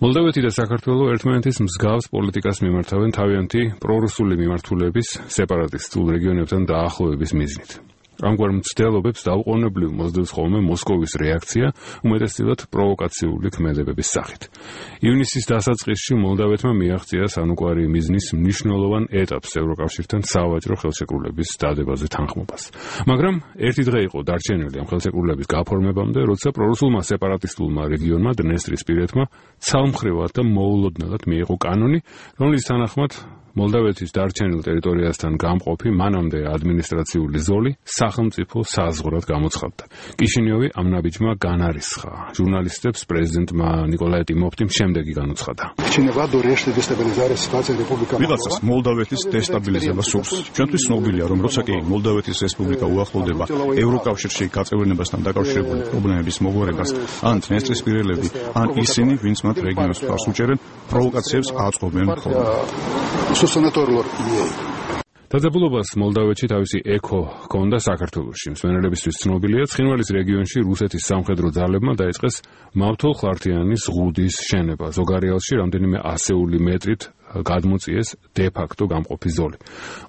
მოლდავეთი და საქართველო ერთმანეთის მსგავს პოლიტიკას მიმართავენ თავიანთი პრორუსული მიმართულების სეპარატისტულ რეგიონებთან დაახლოების მიზნით. ამგვარ მცდელობებს დაუყოვნებლივ მოსდევს ხოლმე მოსკოვის რეაქცია, უმეტესწილად პროვოკაციული ქმედებების სახით. ივნისის დასაწყისში მოლდავეთმა მიაღწია სანუკვარი მიზნის მნიშვნელოვან ეტაპს ევროკავშირთან სავაჭრო ხელშეკრულების დადებაზე თანხმობას. მაგრამ ერთი დღე იყო დარჩენილი ამ ხელშეკრულების გაფორმებამდე, როცა პრორუსულმა სეპარატისტულმა რეგიონმა დნესტრისპირეთმა ცალმხრივად და მოულოდნელად მიიღო კანონი, რომლის თანახმად მოლდავეთის დარჩენილ ტერიტორიასთან გამყოფი მანამდე ადმინისტრაციული ზოლი სახელმწიფო საზღვრად გამოცხადდა. კიშინიოვი ამ ნაბიჯმა განარისხა. ჟურნალისტებს პრეზიდენტმა ნიკოლაი ტიმოფტიმ შემდეგი განუცხადა. ვიღაცას მოლდავეთის დესტაბილიზება სურს. ჩვენთვის ცნობილია, რომ როცა კი მოლდავეთის რესპუბლიკა უახლოვდება ევროკავშირში გაწევრიანებასთან დაკავშირებული პრობლემების მოგვარებას, ან დნესტრისპირელები, ან ისინი, ვინც მათ რეგიონს თავს უჭერენ, პროვოკაციებს აწყობენ ხოლმე. დაძაბულობას მოლდავეთში თავისი ექო ჰქონდა საქართველოში. მსმენელებისთვის ცნობილია, ცხინვალის რეგიონში რუსეთის სამხედრო ძალებმა დაიწყეს მავთოლ-ხლართიანის ზღუდის შენება. ზოგარეალში რამდენიმე ასეული მეტრით გადმოწიეს დე-ფაქტო გამყოფი ზოლი.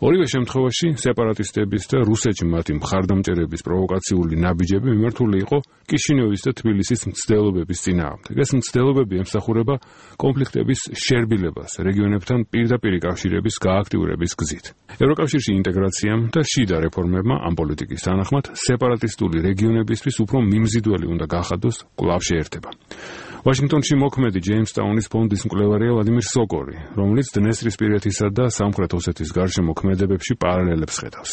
ორივე შემთხვევაში სეპარატისტების და რუსეთში მათი მხარდამჭერების პროვოკაციული ნაბიჯები მიმართული იყო კიშინიოვის და თბილისის მცდელობების წინააღმდეგ. ეს მცდელობები ემსახურება კონფლიქტების შერბილებას რეგიონებთან პირდაპირი კავშირების გააქტიურების გზით. ევროკავშირში ინტეგრაციამ და შიდა რეფორმებმა ამ პოლიტიკის თანახმად სეპარატისტული რეგიონებისთვის უფრო მიმზიდველი უნდა გახადოს კვლავ შეერთება. ვაშინგტონში მოქმედი ჯეიმსტაუნის ფონდის მკვლევარია ვლადიმირ სოკორი, რომელიც დნესტრისპირეთისა და სამხრეთ ოსეთის გარშემო ქმედებებში პარალელებს ხედავს.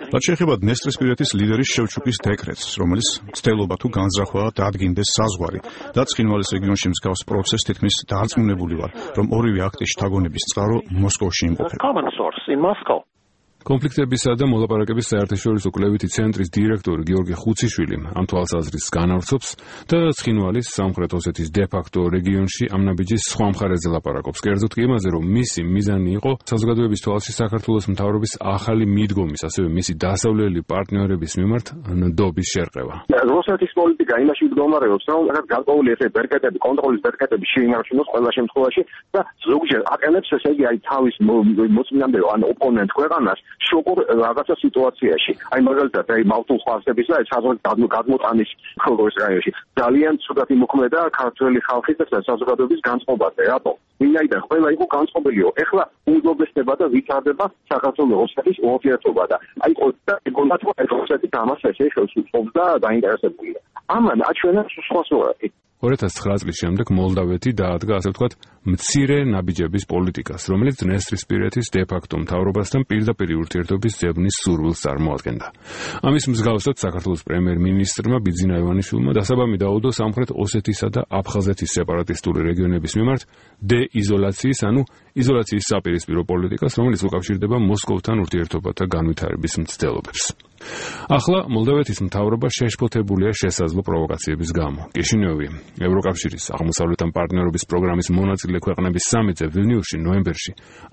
რაც შეეხება დნესტრისპირეთის ლიდერის შევჩუკის დეკრეტს, რომელიც ცდილობა თუ განზრახვა დადგინდეს საზღვარი და ცხინვალის რეგიონში მსგავს პროცესს თითქმის დარწმუნებული ვარ, რომ ორივე აქტის შთაგონების წყარო მოსკოვში იმყოფება. კონფლიქტებისა და მოლაპარაკების საერთაშორისო კვლევითი ცენტრის დირექტორი გიორგი ხუციშვილი ამ თვალსაზრისს განავრცობს და ცხინვალის სამხრეთ ოსეთის დე-ფაქტო რეგიონში ამ ნაბიჯის სხვა მხარეზე ლაპარაკობს. კერძოდ კი იმაზე, რომ მისი მიზანი იყო საზოგადოების თვალში საქართველოს მთავრობის ახალი მიდგომის, ასევე მისი დასავლელი პარტნიორების მიმართ ნდობის შერყევა. რუსეთის პოლიტიკა იმაში მდგომარეობს, რომ გარკვეული ესე ბერკეტები, კონტროლის ბერკეტები შეინარჩუნოს ყველა შემთხვევაში და ზოგჯერ აყენებს ესე იგი თავის მოწინააღმდეგე ან ოპონენტ ქვეყანას შოკურ რაღაცა სიტუაციაში. აი მაგალითად, აი მავთულ-ხლართების და საზღვრის გადმოტანის ხოლმე რაიონში ძალიან ცუდად იმოქმედა ქართველი ხალხის და საზოგადოების განწყობაზე. რატო? ვინაიდან ყველა იყო განწყობილიო. ეხლა უმჯობესდება და ვითარდება საქართველოს-რუსეთის ურთიერთობა და აი კონტაქტი რუსეთის ამას ესე ხელს უწყობს და დაინტერესებულია. ამან აჩვენა სხვა სურათი. 2009 წლის შემდეგ მოლდავეთი დაადგა, ასე ვთქვათ, მცირე ნაბიჯების პოლიტიკას, რომელიც დნესტრისპირეთის დე-ფაქტო მთავრობასთან პირდაპირი ურთიერთობის ძებნის სურვილს წარმოადგენდა. ამის მსგავსად საქართველოს პრემიერ-მინისტრმა ბიძინა ივანიშვილმა დასაბამი დაუდო სამხრეთ ოსეთისა და აფხაზეთის სეპარატისტული რეგიონების მიმართ დე-იზოლაციის, ანუ იზოლაციის საპირისპირო პოლიტიკას, რომელიც უკავშირდება მოსკოვთან ურთიერთობათა განვითარების მცდელობებს. ახლა მოლდავეთის მთავრობა შეშფოთებულია შესაძლო პროვოკაციების გამო. კიშინიოვი ევროკავშირის აღმოსავლეთთან პარტნიორობის პროგრამის მონაწილე ქვეყნების სამიტზე ვილნიუსში ნოემბერში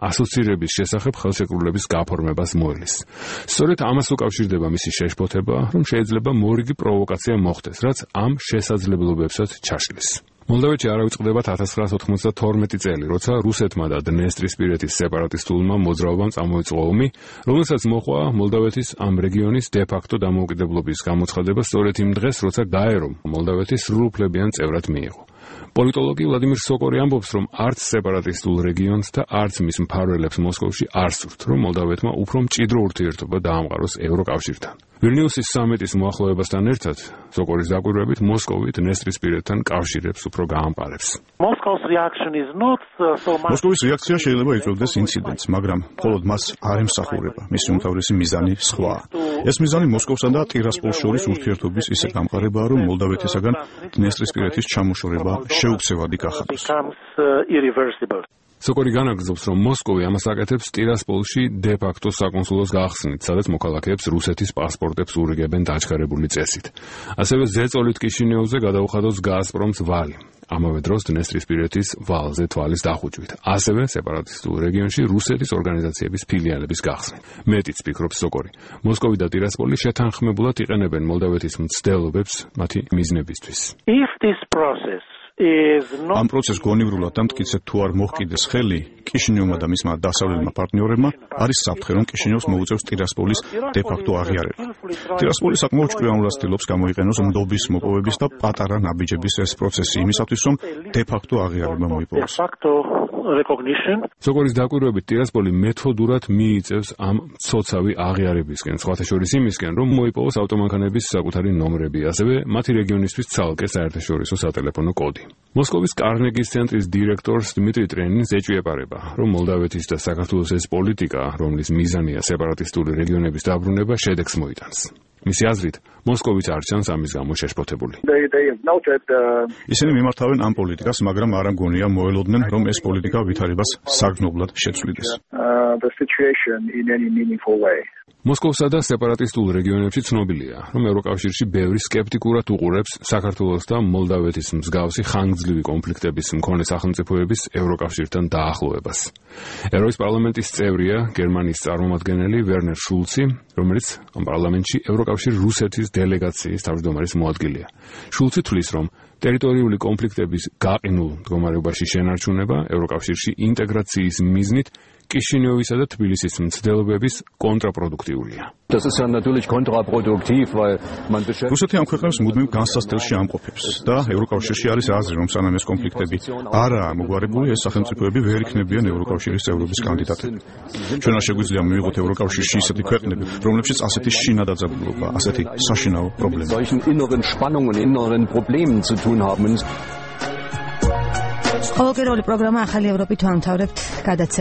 ასოცირების შესახებ ხელშეკრულების გაფორმებას მოელის. სწორედ ამას უკავშირდება მისი შეშფოთება, რომ შეიძლება მორიგი პროვოკაცია მოხდეს, რაც ამ შესაძლებლობებსაც ჩაშლის. მოლდავეთში არ ავიწყდება 1992 წელი, როცა რუსეთმა და დნესტრისპირეთის სეპარატისტულმა მოძრაობამ წამოიწყო ომი, რომელსაც მოჰყვა მოლდავეთის ამ რეგიონის დე-ფაქტო დამოუკიდებლობის გამოცხადება სწორედ იმ დღეს, როცა გაერომ მოლდავეთის სრულუფლებიან წევრად მიიღო. პოლიტოლოგი ვლადიმირ სოკორი ამბობს, რომ არც სეპარატისტულ რეგიონს და არც მის მფარველებს მოსკოვში არ სურთ, რომ მოლდავეთმა უფრო მჭიდრო ურთიერთობა დაამყაროს ევროკავშირთან. ვილნიუსის სამიტის მოახლოებასთან ერთად, სოკორის დაკვირვებით, მოსკოვი დნესტრისპირეთთან კავშირებს უფრო გაამყარებს. მოსკოვის რეაქცია შეიძლება იწვევდეს ინციდენტს, მაგრამ მხოლოდ მას არ ემსახურება. მისი უმთავრესი მიზანი სხვაა. ეს მიზანი მოსკოვსა და ტირასპოლს შორის ურთიერთობის ისე გამყარებაა, რომ მოლდავეთისაგან დნესტრისპირეთის ჩამოშორება შეუქცევადი გახადოს. სოკორი განაგრძობს, რომ მოსკოვი ამას აკეთებს ტირასპოლში დე-ფაქტო საკონსულოს გახსნით, სადაც მოქალაქეებს რუსეთის პასპორტებს ურიგებენ დაჩქარებული წესით. ასევე ზეწოლით კიშინიოვზე გადაუხადოს გაზპრომს ვალი. ამავე დროს დნესტრისპირეთის ვალზე თვალის დახუჭვით, ასევე სეპარატისტულ რეგიონში რუსეთის ორგანიზაციების ფილიალების გახსნით. მეტიც ფიქრობს სოკორი. მოსკოვი და ტირასპოლი შეთანხმებულად იყენებენ მოლდავეთის მცდელობებს მათი მიზნებისთვის. ამ პროცესს გონივრულად და მტკიცედ თუ არ მოჰყიდეს ხელი, კიშინიოვმა და მისმა დასავლელმა პარტნიორებმა არის საფრთხე, რომ კიშინიოვს მოუწევს ტირასპოლის დე-ფაქტო აღიარება. ტირასპოლი საკმაოდ ჭკვიანურად ცდილობს გამოიყენოს ნდობის მოპოვების და პატარა ნაბიჯების ეს პროცესი იმისათვის, რომ დე-ფაქტო აღიარება მოიპოვოს. სოკორის დაკვირვებით ტირასპოლი მეთოდურად მიიწევს ამ მცოცავი აღიარებისკენ, სხვათა შორის იმისკენ, რომ მოიპოვოს ავტომანქანების საკუთარი ნომრები, ასევე მათი რეგიონისთვის ცალკე საერთაშორისო სატელეფონო კოდი. მოსკოვის კარნეგის ცენტრის დირექტორს დმიტრი ტრენინს ეჭვიებარება, რომ მოლდავეთის და საქართველოს ეს პოლიტიკა, რომლის მიზანია სეპარატისტული რეგიონების დაბრუნება, შედეგს მოიტანს. მისი აზრით, მოსკოვიც არ ჩანს ამის გამო შეშფოთებული. ისინი მიმართავენ ამ პოლიტიკას, მაგრამ არ ამგონია მოელოდნენ, რომ ეს პოლიტიკა ვითარებას საგრძნობლად შეცვლიდეს. მოსკოვსა და სეპარატისტულ რეგიონებში ცნობილია, რომ ევროკავშირში ბევრი სკეპტიკურად უყურებს საქართველოს და მოლდავეთის მსგავსი ხანგრძლივი კონფლიქტების მქონე სახელმწიფოების ევროკავშირთან დაახლოებას. ევროპის პარლამენტის წევრია გერმანიის წარმომადგენელი ვერნერ შულცი, რომელიც ამ პარლამენტში ევროკავშირ რუსეთის დელეგაციის თავმჯდომარის მოადგილეა. შულცი თვლის, რომ ტერიტორიული კონფლიქტების გაყინულ მდგომარეობაში შენარჩუნება ევროკავშირში ინტეგრაციის მიზნით კიშინიოვისა და თბილისის მცდელობების კონტრაპროდუქტიულია. რუსეთი ამ ქვეყნებს მუდმივ განსასწრელში ამყოფებს და ევროკავშირში არის აზრი, რომ სანამ ეს კონფლიქტები არაა მოგვარებული, ეს სახელმწიფოები ვერ იქნებიან ევროკავშირის წევრობის კანდიდატები. ჩვენ არ შეგვიძლია მივიღოთ ევროკავშირში ისეთი ქვეყნები, რომლებშიც ასეთი შინადაძაბულობა, ასეთი საშინაო პრობლემა. ყოველკვირეული პროგრამა ახალი ევროპით ვამთავრებთ გადაცემას.